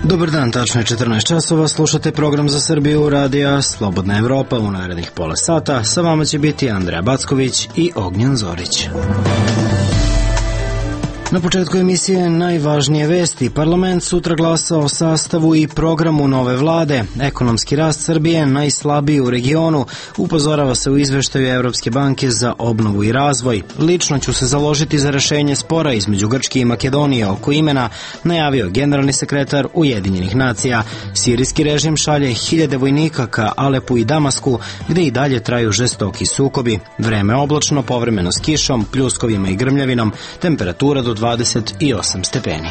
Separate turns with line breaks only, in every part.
Dobar dan, tačno je 14 časova, slušate program za Srbiju Radija Slobodna Evropa. U narednih pola sata sa vama će biti Andreja Backović i Ognjen Zorić. Na početku emisije najvažnije vesti. Parlament sutra glasa o sastavu i programu nove vlade. Ekonomski rast Srbije najslabiji u regionu, upozorava se u izveštaju Evropske banke za obnovu i razvoj. Lično ću se založiti za rešenje spora između Grčke i Makedonije oko imena, najavio generalni sekretar Ujedinjenih nacija. Sirijski režim šalje 1000 vojnika ka Alepu i Damasku, gde i dalje traju žestoki sukobi. Vreme oblačno, povremeno s kišom, pljuskovima i grmljavinom, temperatura do 28 stepeni.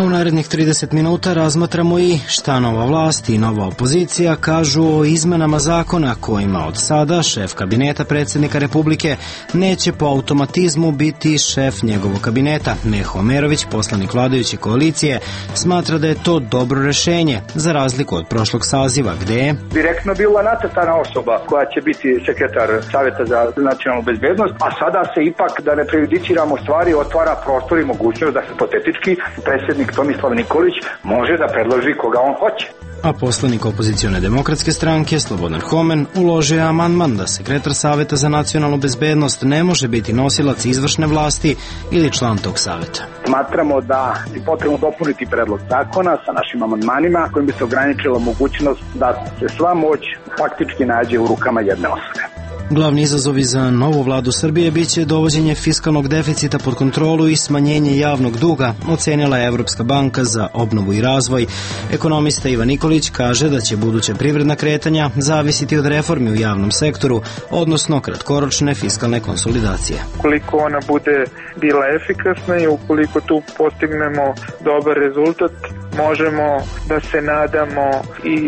U narednih 30 minuta razmatramo i šta nova vlast i nova opozicija kažu o izmenama zakona kojima od sada šef kabineta predsjednika Republike neće po automatizmu biti šef njegovog kabineta. Meho Omerović, poslanik vladajuće koalicije, smatra da je to dobro rešenje, za razliku od prošlog saziva, gde je
direktno bila nacrtana osoba koja će biti sekretar Saveta za nacionalnu bezbednost, a sada se ipak, da ne prejudiciramo stvari, otvara prostor i mogućnost da hipotetički predsjednik Tomislav Nikolić može da predloži koga on hoće.
A poslanik opozicione demokratske stranke Slobodan Homen uložio je amandman da sekretar Saveta za nacionalnu bezbednost ne može biti nosilac izvršne vlasti ili član tog saveta.
Smatramo da je potrebno dopuniti predlog zakona sa našim amandmanima kojim bi se ograničila mogućnost da se sva moć faktički nađe u rukama jedne osobe.
Glavni izazovi za novu vladu Srbije biće dovođenje fiskalnog deficita pod kontrolu i smanjenje javnog duga, ocenila je Evropska banka za obnovu i razvoj. Ekonomista Ivan Nikolić kaže da će buduća privredna kretanja zavisiti od reformi u javnom sektoru, odnosno kratkoročne fiskalne konsolidacije.
Ukoliko ona bude bila efikasna i ukoliko tu postignemo dobar rezultat, možemo da se nadamo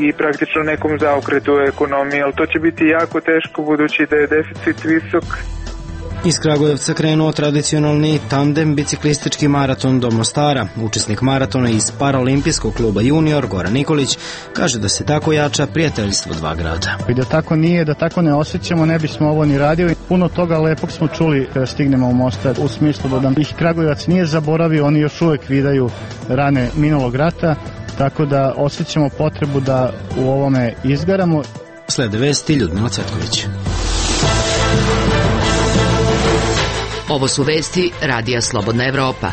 i praktično nekom zaokretu u ekonomiji, ali to će biti jako teško budući da je deficit visok.
Iz Kragujevca krenuo tradicionalni tandem biciklistički maraton do Mostara. Učesnik maratona iz Paraolimpijskog kluba Junior, Goran Nikolić, kaže da se tako jača prijateljstvo dva grada.
I da tako nije, da tako ne osjećamo, ne bismo ovo ni radili. Puno toga lepog smo čuli kada stignemo u Mostar, u smislu da nam ih Kragujevac nije zaboravio, oni još uvek vidaju rane minulog rata, tako da osjećamo potrebu da u ovome izgaramo.
Slede vesti Ljudmila Cvetković.
Ovo su vesti Radija Slobodna Evropa.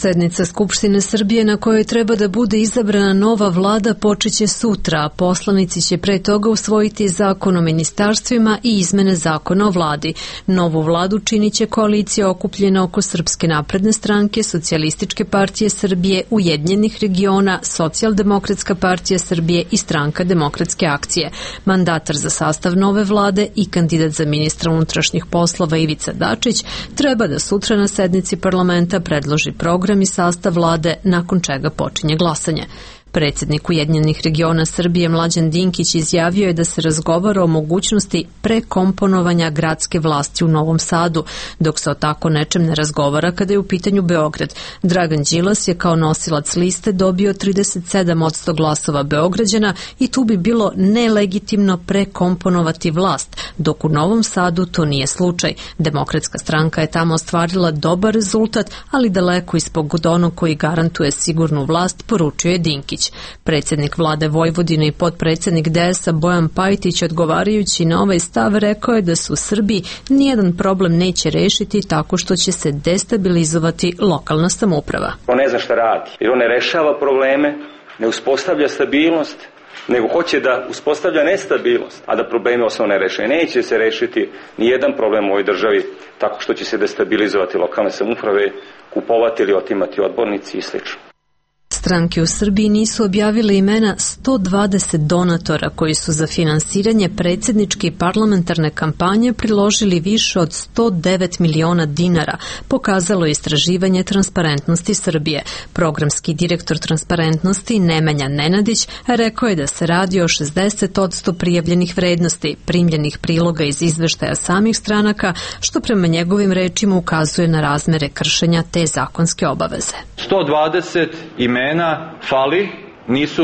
Sednica Skupštine Srbije na kojoj treba da bude izabrana nova vlada počeće sutra, a poslanici će pre toga usvojiti zakon o ministarstvima i izmene zakona o vladi. Novu vladu činit će koalicija okupljena oko Srpske napredne stranke, Socijalističke partije Srbije, Ujedinjenih regiona, Socijaldemokratska partija Srbije i Stranka demokratske akcije. Mandatar za sastav nove vlade i kandidat za ministra unutrašnjih poslova Ivica Dačić treba da sutra na sednici parlamenta predloži program i sastav vlade, nakon čega počinje glasanje. Predsjednik Ujedinjenih regiona Srbije Mlađan Dinkić izjavio je da se razgovara o mogućnosti prekomponovanja gradske vlasti u Novom Sadu, dok se o tako nečem ne razgovara kada je u pitanju Beograd. Dragan Đilas je kao nosilac liste dobio 37% glasova Beograđana i tu bi bilo nelegitimno prekomponovati vlast, dok u Novom Sadu to nije slučaj. Demokratska stranka je tamo ostvarila dobar rezultat, ali daleko ispod onog koji garantuje sigurnu vlast, poručio je Dinkić. Predsjednik vlade Vojvodine i potpredsjednik DS-a Bojan Pajtić, odgovarajući na ovaj stav, rekao je da se u Srbiji nijedan problem neće rešiti tako što će se destabilizovati lokalna samouprava.
On ne zna šta radi, jer on ne rešava probleme, ne uspostavlja stabilnost, nego hoće da uspostavlja nestabilnost, a da probleme osnovne reše. Neće se rešiti nijedan problem u ovoj državi tako što će se destabilizovati lokalne samouprave, kupovati ili otimati odbornici i sl.
Stranke u Srbiji nisu objavile imena 120 donatora koji su za finansiranje predsjedničke i parlamentarne kampanje priložili više od 109 miliona dinara, pokazalo je istraživanje Transparentnosti Srbije. Programski direktor Transparentnosti Nemanja Nenadić rekao je da se radi o 60% prijavljenih vrednosti, primljenih priloga iz izveštaja samih stranaka, što prema njegovim rečima ukazuje na razmere kršenja te zakonske obaveze.
120 imena fali nisu,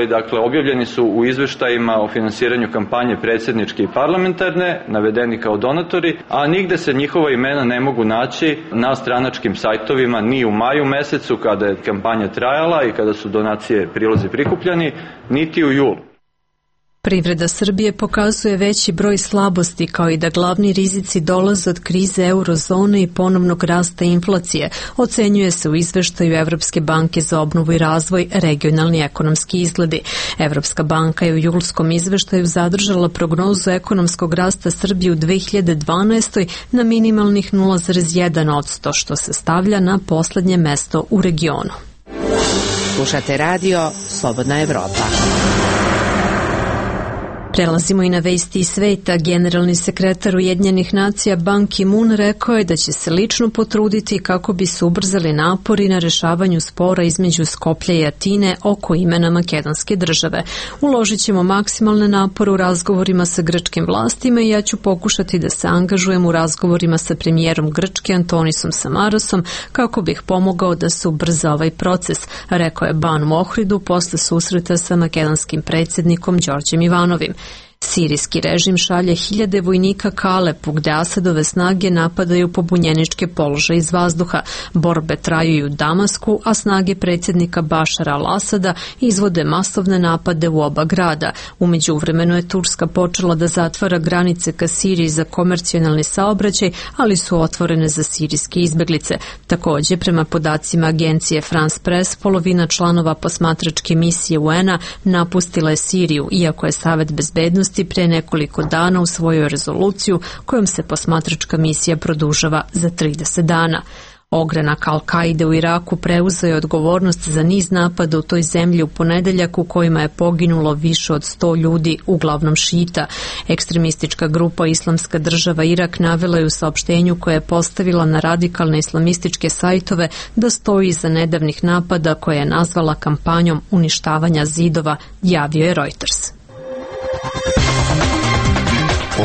dakle, objavljeni su u izveštajima o finansiranju kampanje predsjedničke i parlamentarne, navedeni kao donatori, a nigde se njihova imena ne mogu naći na stranačkim sajtovima ni u maju mesecu kada je kampanja trajala i kada su donacije, prilozi prikupljani, niti u julu.
Privreda Srbije pokazuje veći broj slabosti, kao i da glavni rizici dolaze od krize eurozone i ponovnog rasta inflacije, ocenjuje se u izveštaju Evropske banke za obnovu i razvoj regionalni ekonomski izgledi. Evropska banka je u julskom izveštaju zadržala prognozu ekonomskog rasta Srbije u 2012. na minimalnih 0,1%, što se stavlja na poslednje mesto u regionu.
Slušate radio Slobodna Evropa.
Prelazimo i na vesti iz sveta. Generalni sekretar Ujedinjenih nacija Ban Ki-moon rekao je da će se lično potruditi kako bi se ubrzali napori na rešavanju spora između Skoplja i Atine oko imena makedonske države. Uložit ćemo maksimalne napore u razgovorima sa grčkim vlastima i ja ću pokušati da se angažujem u razgovorima sa premijerom Grčke Antonisom Samarosom kako bih pomogao da se ubrza ovaj proces, rekao je Ban u Ohridu posle susreta sa makedonskim predsjednikom Đorđem Ivanovim. Sirijski režim šalje hiljade vojnika ka Alepu, gde Asadove snage napadaju pobunjeničke položaje iz vazduha. Borbe traju i u Damasku, a snage predsjednika Bašara al-Asada izvode masovne napade u oba grada. U međuvremenu je Turska počela da zatvara granice ka Siriji za komercijalni saobraćaj, ali su otvorene za sirijske izbeglice. Takođe, prema podacima agencije France Press, polovina članova posmatračke misije UN-a napustila je Siriju, iako je Savet bezbednosti pre nekoliko dana usvojio rezoluciju kojom se posmatračka misija produžava za 30 dana. Ogranak Al-Kaide u Iraku preuzeo je odgovornost za niz napada u toj zemlji u ponedeljak u kojima je poginulo više od 100 ljudi, uglavnom šita. Ekstremistička grupa Islamska država Irak navela je u saopštenju koje je postavila na radikalne islamističke sajtove da stoji iza nedavnih napada koje je nazvala kampanjom uništavanja zidova, javio je Reuters.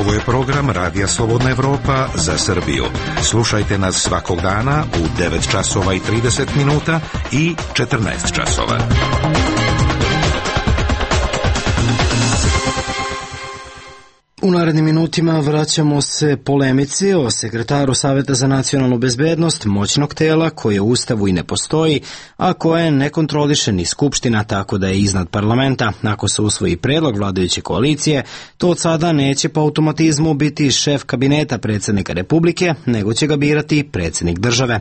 Ovo je program Radija Slobodna Evropa za Srbiju. Slušajte nas svakog dana u 9 časova i 30 minuta i 14 časova.
U narednim minutima vraćamo se polemici o sekretaru Saveta za nacionalnu bezbednost, moćnog tela koje u Ustavu i ne postoji, a koje ne kontroliše ni Skupština, tako da je iznad parlamenta. Ako se usvoji predlog vladajuće koalicije, to od sada neće po automatizmu biti šef kabineta predsjednika Republike, nego će ga birati predsjednik države.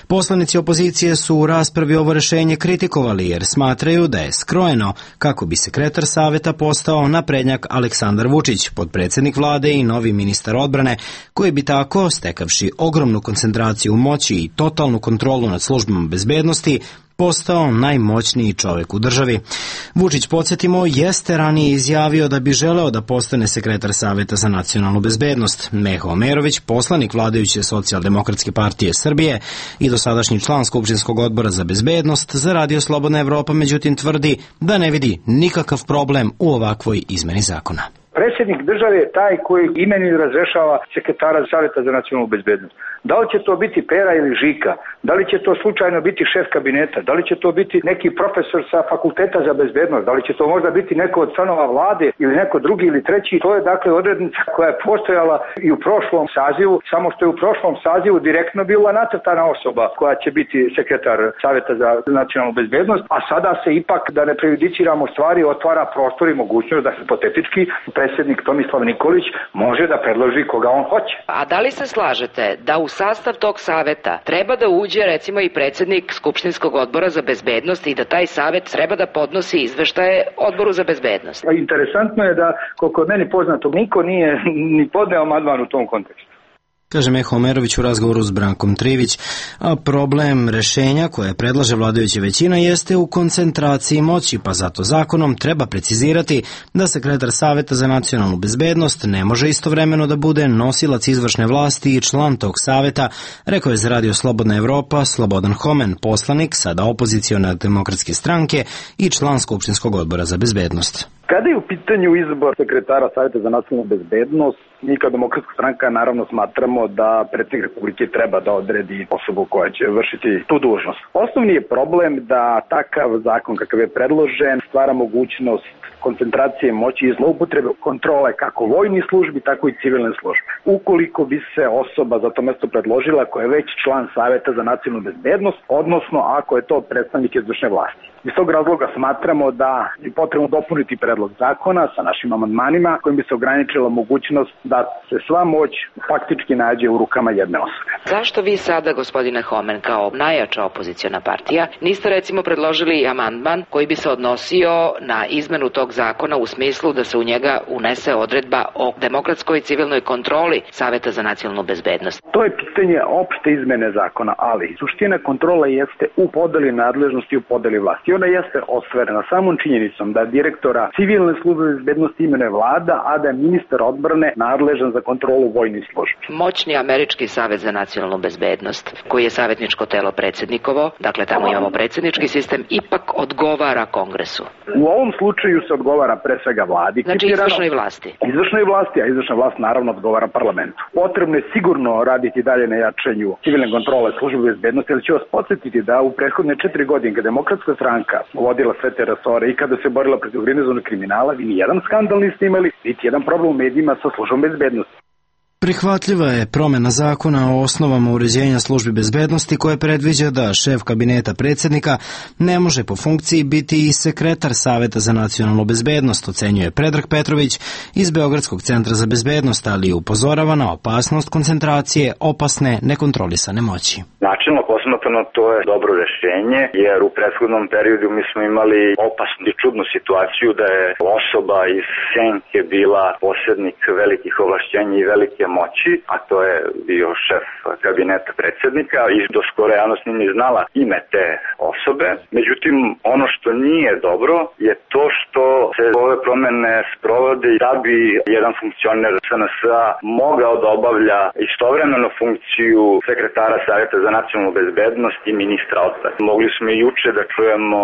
Poslanici opozicije su u raspravi ovo rešenje kritikovali jer smatraju da je skrojeno kako bi sekretar Saveta postao naprednjak Aleksandar Vučić, predsjednik vlade i novi ministar odbrane, koji bi tako, stekavši ogromnu koncentraciju moći i totalnu kontrolu nad službama bezbednosti, postao najmoćniji čovjek u državi. Vučić, podsjetimo, jeste ranije izjavio da bi želeo da postane sekretar Saveta za nacionalnu bezbednost. Meho Omerović, poslanik vladajuće Socijaldemokratske partije Srbije i dosadašnji član Skupštinskog odbora za bezbednost, za Radio Slobodna Evropa, međutim tvrdi da ne vidi nikakav problem u ovakvoj izmeni zakona.
Predsjednik države je taj koji imenuje i razrešava sekretara Saveta za nacionalnu bezbednost. Da li će to biti Pera ili Žika? Da li će to slučajno biti šef kabineta? Da li će to biti neki profesor sa fakulteta za bezbednost? Da li će to možda biti neko od članova vlade ili neko drugi ili treći? To je dakle odrednica koja je postojala i u prošlom sazivu, samo što je u prošlom sazivu direktno bila nacrtana osoba koja će biti sekretar Saveta za nacionalnu bezbednost, a sada se ipak, da ne prejudiciramo stvari, otvara prostor i mogućnost da hipotetički predsjednik Tomislav Nikolić može da predloži koga on hoće.
A da li se slažete da u sastav tog saveta treba da uđe recimo i predsjednik Skupštinskog odbora za bezbednost i da taj savet treba da podnosi izveštaje odboru za bezbednost?
Interesantno je da, koliko je meni poznato, niko nije ni podneo amandman u tom kontekstu.
Kaže Meho Omerović u razgovoru s Brankom Trivić, a problem rešenja koje predlaže vladajuća većina jeste u koncentraciji moći, pa zato zakonom treba precizirati da sekretar Saveta za nacionalnu bezbednost ne može istovremeno da bude nosilac izvršne vlasti i član tog saveta, rekao je za Radio Slobodna Evropa Slobodan Homen, poslanik sada opozicione demokratske stranke i član Skupštinskog odbora za bezbednost.
Kada je u pitanju izbor sekretara Saveta za nacionalnu bezbednost, mi kao Demokratska stranka naravno smatramo da predsjednik Republike treba da odredi osobu koja će vršiti tu dužnost. Osnovni je problem da takav zakon kakav je predložen stvara mogućnost koncentracije moći i zloupotrebe kontrole kako vojnih službi, tako i civilne službe. Ukoliko bi se osoba za to mesto predložila koja je već član Saveta za nacionalnu bezbednost, odnosno ako je to predstavnik izvršne vlasti. Iz tog razloga smatramo da je potrebno dopuniti predlog zakona sa našim amandmanima kojim bi se ograničila mogućnost da se sva moć faktički nađe u rukama jedne osobe.
Zašto vi sada, gospodine Homen, kao najjača opoziciona partija, niste recimo predložili amandman koji bi se odnosio na izmenu tog zakona u smislu da se u njega unese odredba o demokratskoj civilnoj kontroli Saveta za nacionalnu bezbednost?
To je pitanje opšte izmene zakona, ali suština kontrola jeste u podeli nadležnosti i u podeli vlasti. Ona jeste ostvarena samom činjenicom da direktora civilne službe bezbednosti imenuje vlada, a da je ministar odbrane nadležan za kontrolu vojnih službi.
Moćni američki Savet za nacionalnu bezbednost, koji je savjetničko telo predsjednikovo, dakle tamo imamo predsjednički sistem, ipak odgovara Kongresu.
U ovom slučaju se odgovara pre svega vladi.
Znači izvršnoj vlasti.
Izvršnoj vlasti, a izvršna vlast naravno odgovara parlamentu. Potrebno je sigurno raditi dalje na jačanju civilne kontrole službe bezbednosti, ali ću vas podsjetiti da u prethodne 4 godine kada Demokratska stranka vodila sve te resore i kada se borila protiv organizovanog kriminala, vi nijedan skandal niste imali, niti jedan problem u medijima sa službom bezbednosti.
Prihvatljiva je promjena zakona o osnovama uređenja službi bezbednosti koje predviđa da šef kabineta predsjednika ne može po funkciji biti i sekretar Saveta za nacionalnu bezbednost, ocenjuje Predrag Petrović iz Beogradskog centra za bezbednost, ali upozorava na opasnost koncentracije opasne nekontrolisane moći.
Načelno posmatrano to je dobro rješenje, jer u prethodnom periodu mi smo imali opasnu i čudnu situaciju da je osoba iz senke bila posjednik velikih ovlašćenja i velike moći, a to je bio šef kabineta predsjednika i do skoro javnost nije znala ime te osobe. Međutim, ono što nije dobro je to što se ove promjene sprovode da bi jedan funkcioner SNS-a mogao da obavlja istovremeno funkciju sekretara Savjeta za nacionalnu bezbednost i ministra odbrane. Mogli smo i juče da čujemo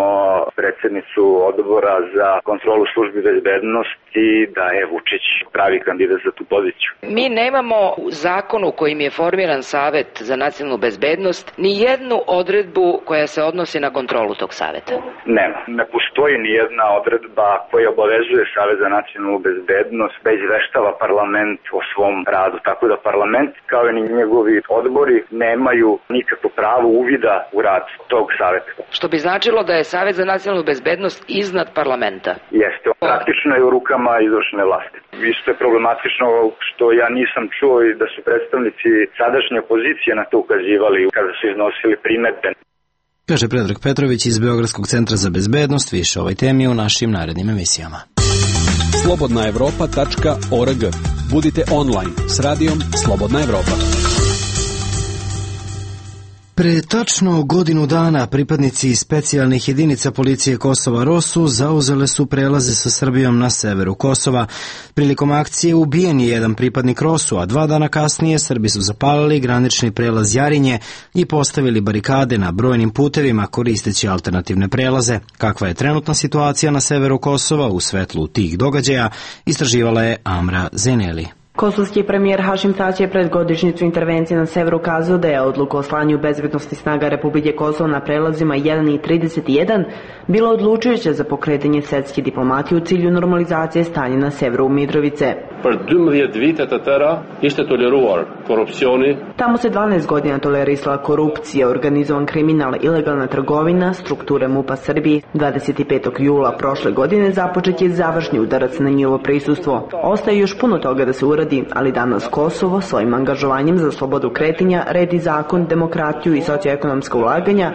predsjednicu odbora za kontrolu službi bezbednosti da je Vučić pravi kandidat za tu poziciju.
Mi nemamo u zakonu kojim je formiran Savet za nacionalnu bezbednost ni jednu odredbu koja se odnosi na kontrolu tog saveta.
Nema. Ne postoji ni jedna odredba koja obavezuje Savet za nacionalnu bezbednost da izveštava parlament o svom radu. Tako da parlament kao i njegovi odbori nemaju nikakvo pravo uvida u rad tog saveta.
Što bi značilo da je Savet za nacionalnu bezbednost iznad parlamenta?
Jeste. Praktično je u rukama izvršne vlasti. Isto je problematično što ja nisam čuo i da su predstavnici sadašnje opozicije na to ukazivali kada su iznosili primedbe.
Kaže Predrag Petrović iz Beogradskog centra za bezbednost. Više o ovoj temi u našim narednim emisijama.
Slobodnaevropa.org. Budite online s radijom Slobodna Evropa.
Pre tačno godinu dana pripadnici specijalnih jedinica policije Kosova ROSU zauzele su prelaze sa Srbijom na severu Kosova. Prilikom akcije ubijen je jedan pripadnik ROSU, a 2 dana kasnije Srbi su zapalili granični prelaz Jarinje i postavili barikade na brojnim putevima koristeći alternativne prelaze. Kakva je trenutna situacija na severu Kosova u svetlu tih događaja, istraživala je Amra Zeneli.
Kosovski premijer Hašim Tači je pred godišnjicu intervencije na severu kazao da je odluka o slanju bezbednosnih snaga Republike Kosovo na prelazima 1 i 31 bila odlučujuća za pokretanje svetske diplomatije u cilju normalizacije stanja na severu Mitrovice. Tamo se 12 godina tolerisala korupcija, organizovan kriminal, ilegalna trgovina, strukture MUP-a Srbije. 25. jula prošle godine započet je završni udarac na njihovo prisustvo. Ostaje još puno toga da se uradi, ali danas Kosovo svojim angažovanjem za slobodu kretanja, red i zakon, demokratiju i socioekonomska ulaganja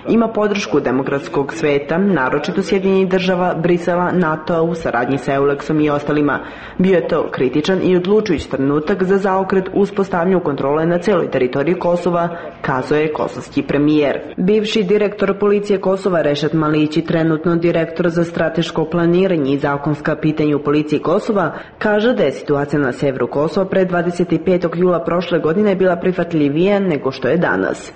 ima podršku demokratskog sveta, naročito Sjedinjenih država, Brisela, NATO-a u saradnji sa EULEX-om i ostalima. Bio je to kritičan i odlučujući trenutak za zaokret uspostavljanju kontrole na celoj teritoriji Kosova, kazao je kosovski premijer. Bivši direktor policije Kosova Rešat Malići, trenutno direktor za strateško planiranje i zakonska pitanja u policiji Kosova, kaže da je situacija na severu Kosova pre 25. jula prošle godine bila prihvatljivija nego što je danas.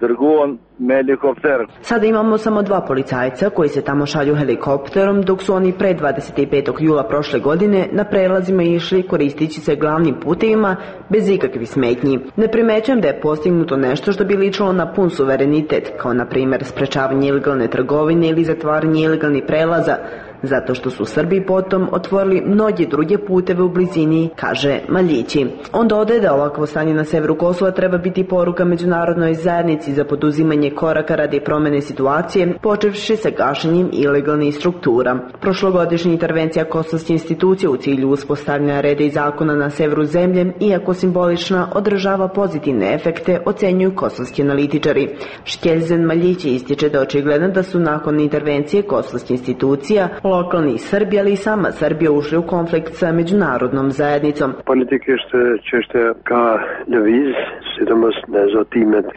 trguon me helikopter.
Sada imamo samo 2 policajca koji se tamo šalju helikopterom, dok su oni pre 25. jula prošle godine na prelazima išli koristići se glavnim putevima bez ikakvih smetnji. Ne primećujem da je postignuto nešto što bi ličilo na pun suverenitet, kao na primjer sprečavanje ilegalne trgovine ili zatvaranje ilegalnih prelaza, zato što su Srbi potom otvorili mnoge druge puteve u blizini, kaže Maljići. On dodaje da ovakvo stanje na severu Kosova treba biti poruka međunarodnoj zajednici za poduzimanje koraka radi promene situacije, počevši sa gašenjem ilegalnih struktura. Prošlogodišnja intervencija kosovske institucije u cilju uspostavljanja reda i zakona na severu zemlje, iako simbolična, održava pozitivne efekte, ocenjuju kosovski analitičari. Škelzen Maljići ističe da očigledno da su nakon intervencije kosovske institucija lokalni Srbi, ali i sama Srbija ušli u konflikt sa međunarodnom zajednicom.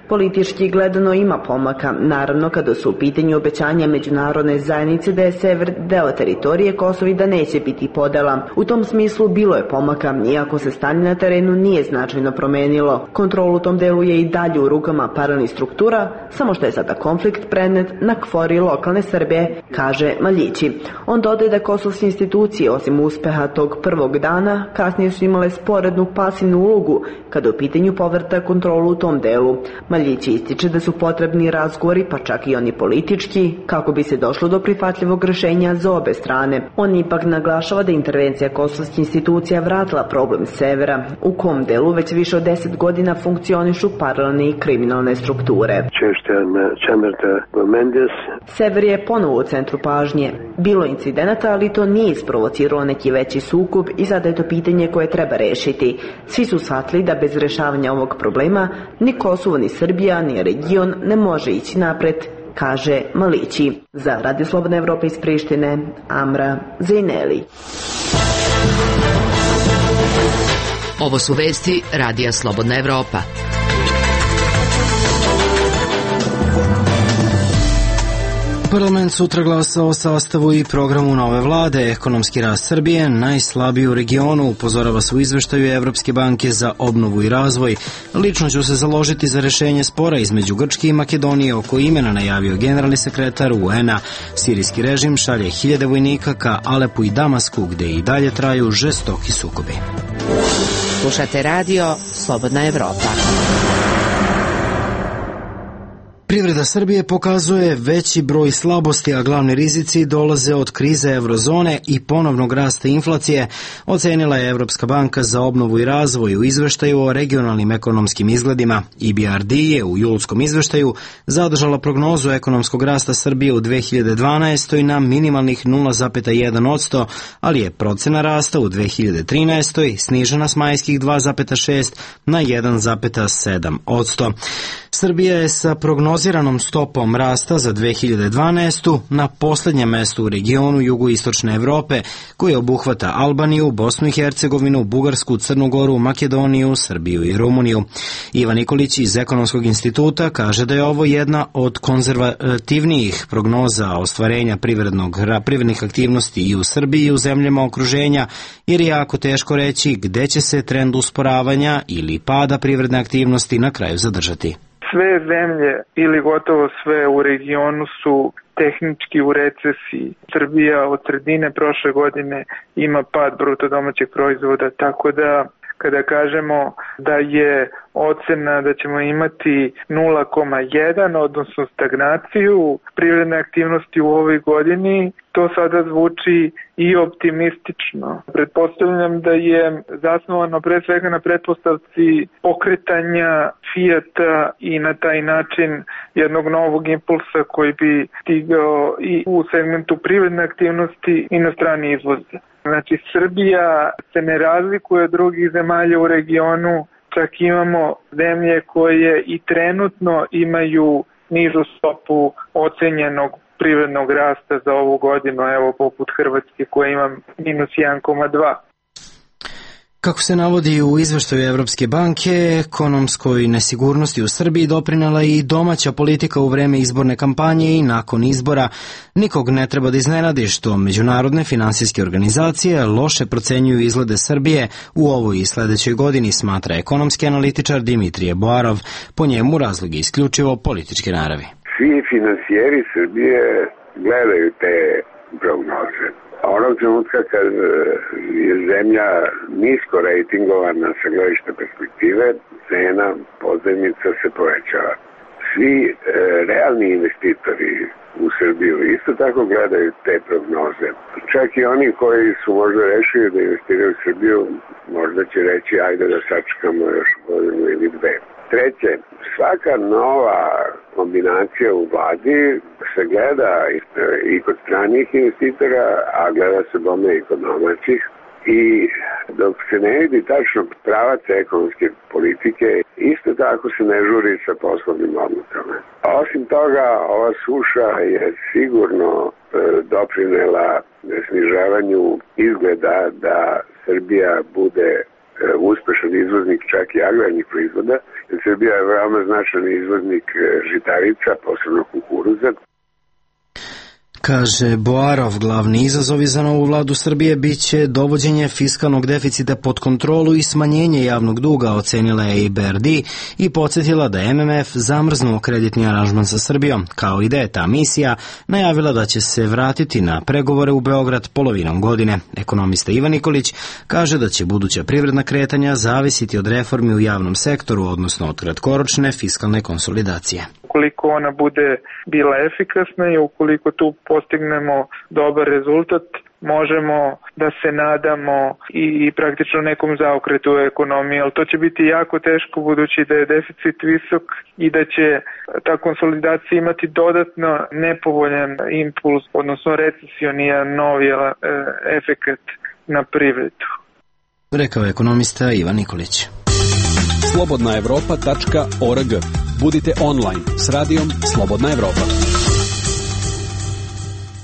Politički gledano ima pomaka, naravno kada su u pitanju obećanja međunarodne zajednice da je sever deo teritorije Kosova i da neće biti podela. U tom smislu bilo je pomaka, iako se stanje na terenu nije značajno promenilo. Kontrol u tom delu je i dalje u rukama paralelnih struktura, samo što je sada konflikt prenet na KFOR i lokalne Srbe, kaže Maljići. On dodaje da kosovske institucije, osim uspeha tog prvog dana, kasnije su imale sporednu pasivnu ulogu kada u pitanju povrta kontrolu u tom delu. Maljići ističe da su potrebni razgovori, pa čak i oni politički, kako bi se došlo do prihvatljivog rešenja za obe strane. On ipak naglašava da intervencija kosovskih institucija vratila problem severa, u kom delu već više od 10 godina funkcionišu paralelne i kriminalne strukture. Sever je ponovo u centru pažnje. Bilo incidenata, ali to nije isprovociralo neki veći sukob i sada je to pitanje koje treba rešiti. Svi su shvatili da bez rešavanja ovog problema ni Kosovo, ni Srbija, ni region ne može ići napred, kaže Maljići. Za Radio Slobodna Evropa iz Prištine, Amra Zejneli.
Ovo su vesti Radija Slobodna Evropa.
Parlament sutra glasa o sastavu i programu nove vlade. Ekonomski rast Srbije najslabiji u regionu, upozorava se u izveštaju Evropske banke za obnovu i razvoj. Lično ću se založiti za rešenje spora između Grčke i Makedonije oko imena, najavio generalni sekretar UN-a. Sirijski režim šalje 1000 vojnika ka Alepu i Damasku, gde i dalje traju žestoki sukobi.
Slušate radio Slobodna Evropa.
Privreda Srbije pokazuje veći broj slabosti, a glavni rizici dolaze od krize eurozone i ponovnog rasta inflacije, ocenila je Evropska banka za obnovu i razvoj u izveštaju o regionalnim ekonomskim izgledima. EBRD je u julskom izveštaju zadržala prognozu ekonomskog rasta Srbije u 2012. na minimalnih 0,1%, ali je procena rasta u 2013. snižena s majskih 2,6 na 1,7%. Srbija je sa prognoziranom stopom rasta za 2012. na posljednjem mestu u regionu jugoistočne Evrope, koji obuhvata Albaniju, Bosnu i Hercegovinu, Bugarsku, Crnu Goru, Makedoniju, Srbiju i Rumuniju. Ivan Nikolić iz Ekonomskog instituta kaže da je ovo jedna od konzervativnijih prognoza ostvarenja privrednih aktivnosti i u Srbiji i u zemljama okruženja, jer je jako teško reći gde će se trend usporavanja ili pada privredne aktivnosti na kraju zadržati.
Sve zemlje ili gotovo sve u regionu su tehnički u recesiji. Srbija od sredine prošle godine ima pad bruto domaćeg proizvoda, tako da kada kažemo da je ocena da ćemo imati 0,1, odnosno stagnaciju privredne aktivnosti u ovoj godini, to sada zvuči i optimistično. Pretpostavljam da je zasnovano pre svega na pretpostavci pokretanja Fijata i na taj način jednog novog impulsa koji bi stigao i u segmentu privredne aktivnosti i na strani izvoza. Znači, Srbija se ne razlikuje od drugih zemalja u regionu, čak imamo zemlje koje i trenutno imaju nižu stopu ocenjenog privrednog rasta za ovu godinu, evo poput Hrvatske koja ima -1,2.
Kako se navodi u izveštaju Evropske banke, ekonomskoj nesigurnosti u Srbiji doprinela i domaća politika u vreme izborne kampanje i nakon izbora. Nikog ne treba da iznenadi što međunarodne finansijske organizacije loše procenjuju izglede Srbije u ovoj i sledećoj godini, smatra ekonomski analitičar Dimitrije Boarov. Po njemu razlog je isključivo političke naravi.
Svi finansijeri Srbije gledaju te prognoze. Onog trenutka kad je zemlja nisko rejtingovana sa gledišta perspektive, cena pozajmica se povećava. Svi realni investitori u Srbiju isto tako gledaju te prognoze. Čak i oni koji su možda rešili da investiraju u Srbiju, možda će reći ajde da sačekamo još godinu ili dve. Treće, svaka nova kombinacija u vladi se gleda i kod stranih investitora, a gleda se bome i kod domaćih. I dok se ne vidi tačno pravac ekonomske politike, isto tako se ne žuri sa poslovnim odlukama. Osim toga, ova suša je sigurno doprinela snižavanju izgleda da Srbija bude uspešan izvoznik čak i agrarnih proizvoda. Srbija je veoma značajan izvoznik žitarica, posebno kukuruza.
Kaže Boarov, glavni izazovi za novu vladu Srbije biće dovođenje fiskalnog deficita pod kontrolu i smanjenje javnog duga, ocenila je i BRD i podsjetila da MMF zamrznuo kreditni aranžman sa Srbijom, kao i da je ta misija najavila da će se vratiti na pregovore u Beograd polovinom godine. Ekonomista Ivan Nikolić kaže da će buduća privredna kretanja zavisiti od reformi u javnom sektoru, odnosno od kratkoročne fiskalne konsolidacije.
Ukoliko ona bude bila efikasna i ukoliko tu postignemo dobar rezultat, možemo da se nadamo i praktično nekom zaokretu u ekonomiji, ali to će biti jako teško budući da je deficit visok i da će ta konsolidacija imati dodatno nepovoljan impuls, odnosno recesionijan novi efekat na privredu.
Rekao je ekonomista Ivan Nikolić.
slobodnaevropa.org. Budite online s radijom Slobodna Evropa.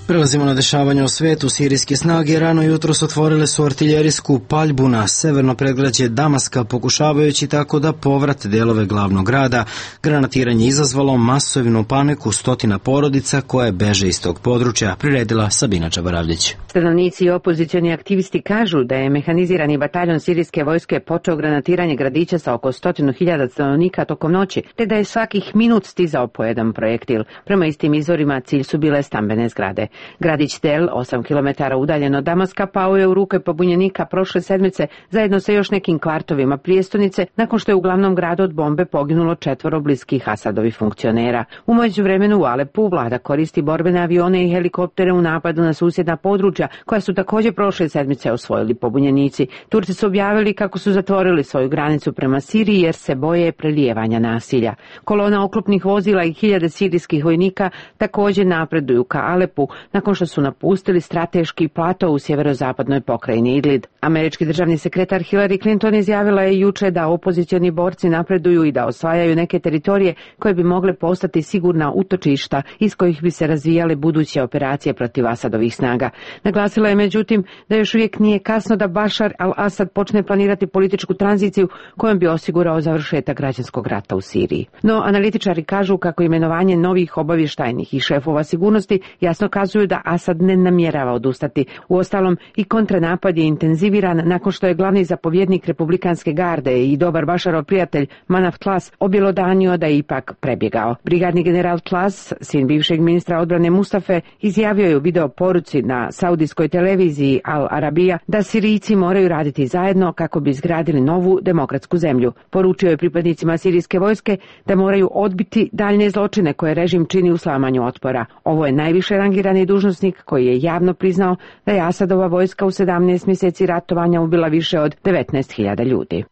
Prelazimo na dešavanje u svetu. Sirijske snage rano jutros otvorile su artiljerijsku paljbu na severno predgrađe Damaska, pokušavajući tako da povrate delove glavnog grada. Granatiranje izazvalo masovnu paniku stotina porodica koje beže iz tog područja, priredila Sabina Čabaravljić.
Stanovnici i opozicioni aktivisti kažu da je mehanizirani bataljon sirijske vojske počeo granatiranje gradića sa oko 100.000 stanovnika tokom noći, te da je svakih minut stizao po jedan projektil. Prema istim izvorima cilj su bile stambene zgrade. Gradić Tel, 8 km udaljen od Damaska, pao je u ruke pobunjenika prošle sedmice zajedno sa još nekim kvartovima prijestolnice nakon što je u glavnom gradu od bombe poginulo 4 bliskih Asadovih funkcionera. U međuvremenu u Alepu vlada koristi borbene avione i helikoptere u napadu na susjedna područja koja su također prošle sedmice osvojili pobunjenici. Turci su objavili kako su zatvorili svoju granicu prema Siriji jer se boje prelijevanja nasilja. Kolona oklopnih vozila i 1000 sirijskih vojnika također napreduju ka Alepu nakon što su napustili strateški plato u sjeverozapadnoj pokrajini Idlib. Američki državni sekretar Hillary Clinton izjavila je juče da opozicioni borci napreduju i da osvajaju neke teritorije koje bi mogle postati sigurna utočišta iz kojih bi se razvijale buduće operacije protiv Asadovih snaga. Naglasila je međutim da još uvijek nije kasno da Bashar al-Assad počne planirati političku tranziciju kojom bi osigurao završetak građanskog rata u Siriji. No, analitičari kažu kako imenovanje novih obavještajnih i šefova sigurnosti jasno kazuju da Asad ne namjerava odustati. Uostalom, i kontranapad je intenziviran nakon što je glavni zapovjednik republikanske garde i dobar Basharov prijatelj Manaf Tlas objelodanio da je ipak prebjegao. Brigadni general Tlas, sin bivšeg ministra odbrane Mustafe, izjavio je u video poruci na saudijskoj televiziji Al Arabija da Sirijci moraju raditi zajedno kako bi izgradili novu demokratsku zemlju. Poručio je pripadnicima sirijske vojske da moraju odbiti daljne zločine koje režim čini u slamanju otpora. Ovo je najviše rangirani dužnosnik koji je javno priznao da je Asadova vojska u 17 mjeseci ratovanja ubila više od 19.000 ljudi.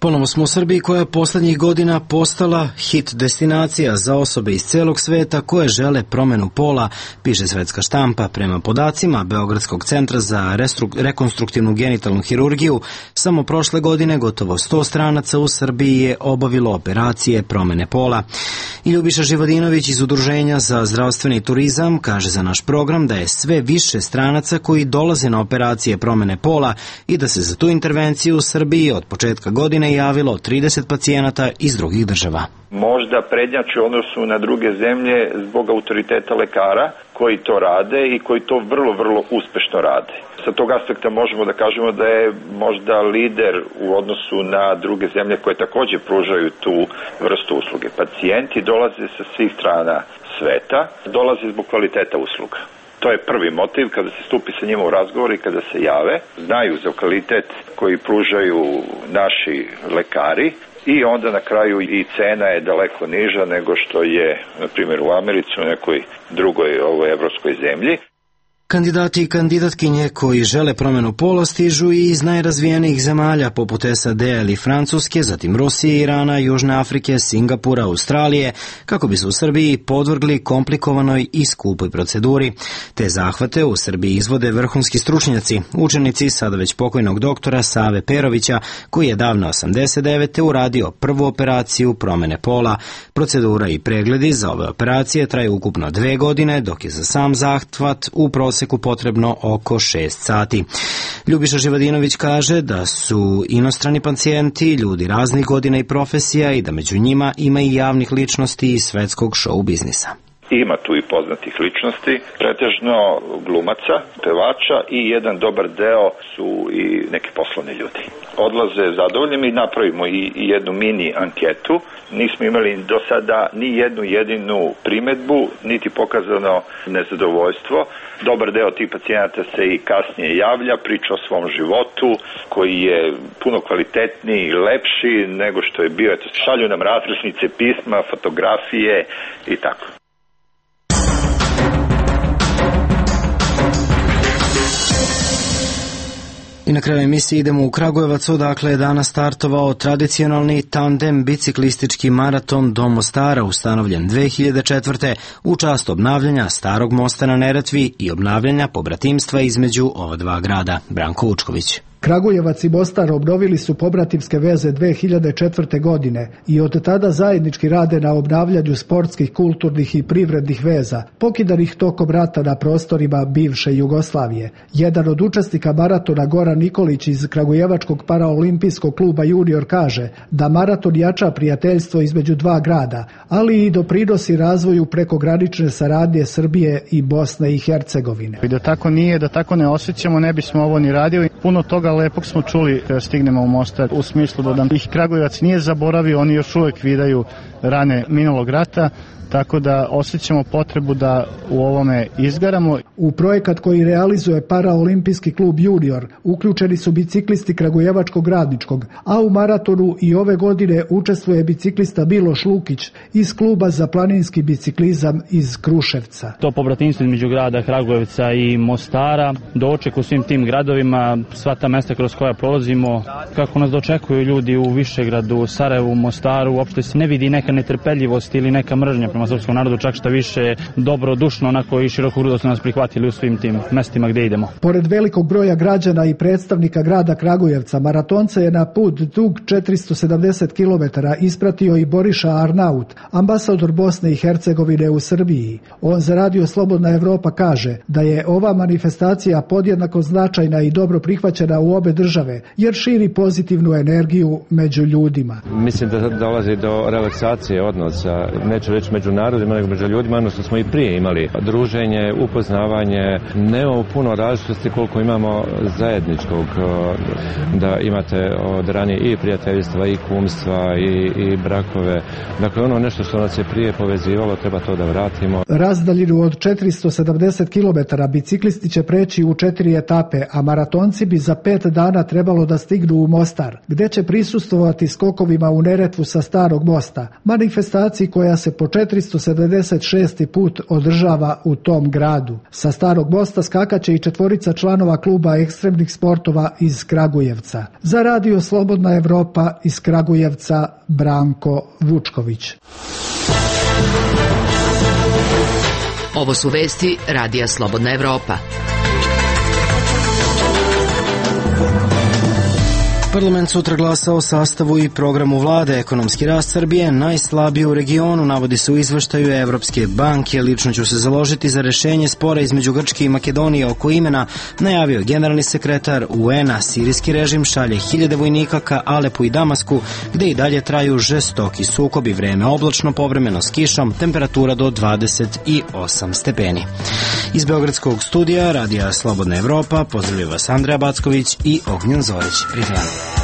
Ponovo smo u Srbiji koja je poslednjih godina postala hit destinacija za osobe iz celog sveta koje žele promenu pola, piše svetska štampa. Prema podacima Beogradskog centra za rekonstruktivnu genitalnu hirurgiju, samo prošle godine gotovo 100 stranaca u Srbiji je obavilo operacije promene pola. I Ljubiša Živodinović iz Udruženja za zdravstveni turizam kaže za naš program da je sve više stranaca koji dolaze na operacije promene pola i da se za tu intervenciju u Srbiji od početka godine javilo 30 pacijenata iz drugih država.
Možda prednjači u odnosu na druge zemlje zbog autoriteta lekara koji to rade i koji to vrlo uspešno rade. Sa tog aspekta možemo da kažemo da je možda lider u odnosu na druge zemlje koje takođe pružaju tu vrstu usluge. Pacijenti dolaze sa svih strana sveta, dolaze zbog kvaliteta usluga. To je prvi motiv kada se stupi sa njima u razgovor i kada se jave. Znaju za kvalitet koji pružaju naši lekari i onda na kraju i cena je daleko niža nego što je, na primjer, u Americi, u nekoj drugoj evropskoj zemlji.
Kandidati i kandidatkinje koji žele promenu pola stižu i iz najrazvijenijih zemalja poput SAD ili Francuske, zatim Rusije, Irana, Južne Afrike, Singapura, Australije, kako bi se u Srbiji podvrgli komplikovanoj i skupoj proceduri. Te zahvate u Srbiji izvode vrhunski stručnjaci, učenici sada već pokojnog doktora Save Perovića, koji je davno 89. uradio prvu operaciju promene pola. Procedura i pregledi za ove operacije traju ukupno 2 godine, dok je za sam zahvat u proseku potrebno oko 6 sati. Ljubiša Živodinović kaže da su inostrani pacijenti ljudi raznih godina i profesija i da među njima ima i javnih ličnosti iz svetskog show biznisa.
Ima tu i poznatih ličnosti, pretežno glumaca, pevača i jedan dobar deo su i neki poslovni ljudi. Odlaze zadovoljni i napravimo i jednu mini anketu. Nismo imali do sada ni jednu jedinu primetbu, niti pokazano nezadovoljstvo. Dobar deo tih pacijenata se i kasnije javlja, priča o svom životu koji je puno kvalitetniji i lepši nego što je bio. Šalju nam različnice pisma, fotografije i tako.
I na kraju emisije idemo u Kragujevac, odakle je danas startovao tradicionalni tandem biciklistički maraton do Mostara, ustanovljen 2004. u čast obnavljanja starog mosta na Neretvi i obnavljanja pobratimstva između ova dva grada. Branko Vučković.
Kragujevac i Mostar obnovili su pobratimske veze 2004. godine i od tada zajednički rade na obnavljanju sportskih, kulturnih i privrednih veza, pokidanih tokom rata na prostorima bivše Jugoslavije. Jedan od učesnika maratona, Goran Nikolić iz Kragujevačkog paraolimpijskog kluba Junior, kaže da maraton jača prijateljstvo između dva grada, ali i doprinosi razvoju prekogranične saradnje Srbije i Bosne i Hercegovine.
I da tako nije, da tako ne osjećamo, ne bismo ovo ni radili. Puno toga lepog smo čuli kada stignemo u Mostar, u smislu da nam ih Kragujevac nije zaboravio, oni još uvek vidaju rane minulog rata, tako da osjećamo potrebu da u ovome izgaramo.
U projekat koji realizuje paraolimpijski klub Junior uključeni su biciklisti Kragujevačkog radničkog, a u maratonu i ove godine učestvuje biciklista Miloš Lukić iz kluba za planinski biciklizam iz Kruševca.
To pobratimstvo između grada Kragujevca i Mostara, doček u svim tim gradovima, sva ta mesta kroz koja prolazimo, kako nas dočekuju ljudi u Višegradu, Sarajevu, Mostaru, uopšte se ne vidi neka netrpeljivost ili neka mržnja prema srpskom narodu, čak šta više dobrodušno, onako i širokogrudo su nas prihvatili u svim tim mestima gde idemo.
Pored velikog broja građana i predstavnika grada Kragujevca, maratonca je na put dug 470 km ispratio i Boriša Arnaut, ambasador Bosne i Hercegovine u Srbiji. On za Radio Slobodna Evropa kaže da je ova manifestacija podjednako značajna i dobro prihvaćena u obe države, jer širi pozitivnu energiju među ljudima.
Mislim da dolazi do relaksacije odnosa, neću reći među narodima, nego među ljudima, odnosno smo i prije imali druženje, upoznavanje, nemamo puno različitosti koliko imamo zajedničkog, da imate od ranije i prijateljstva, i kumstva, i brakove. Dakle, ono nešto što nas je prije povezivalo, treba to da vratimo.
Razdaljinu od 470 km biciklisti će preći u 4 etape, a maratonci bi za 5 dana trebalo da stignu u Mostar, gde će prisustvovati skokovima u Neretvu sa Starog mosta, manifestaciji koja se po 4 476. put održava u tom gradu. Sa Starog mosta skakaće i 4 članova kluba ekstremnih sportova iz Kragujevca. Za Radio Slobodna Evropa iz Kragujevca Branko Vučković.
Ovo su vesti Radija Slobodna Evropa.
Parlament sutra glasa o sastavu i programu vlade. Ekonomski rast Srbije najslabiji u regionu, navodi se u izveštaju Evropske banke. Lično ću se založiti za rešenje spora između Grčke i Makedonije oko imena, najavio generalni sekretar UN-a. Sirijski režim šalje 1000 vojnika ka Alepu i Damasku, gde i dalje traju žestoki sukobi. Vreme oblačno, povremeno s kišom, temperatura do 28 stepeni. Iz Beogradskog studija Radija Slobodna Evropa pozdravlja vas Andreja Backović i Ognjen Zorić. Prijetno.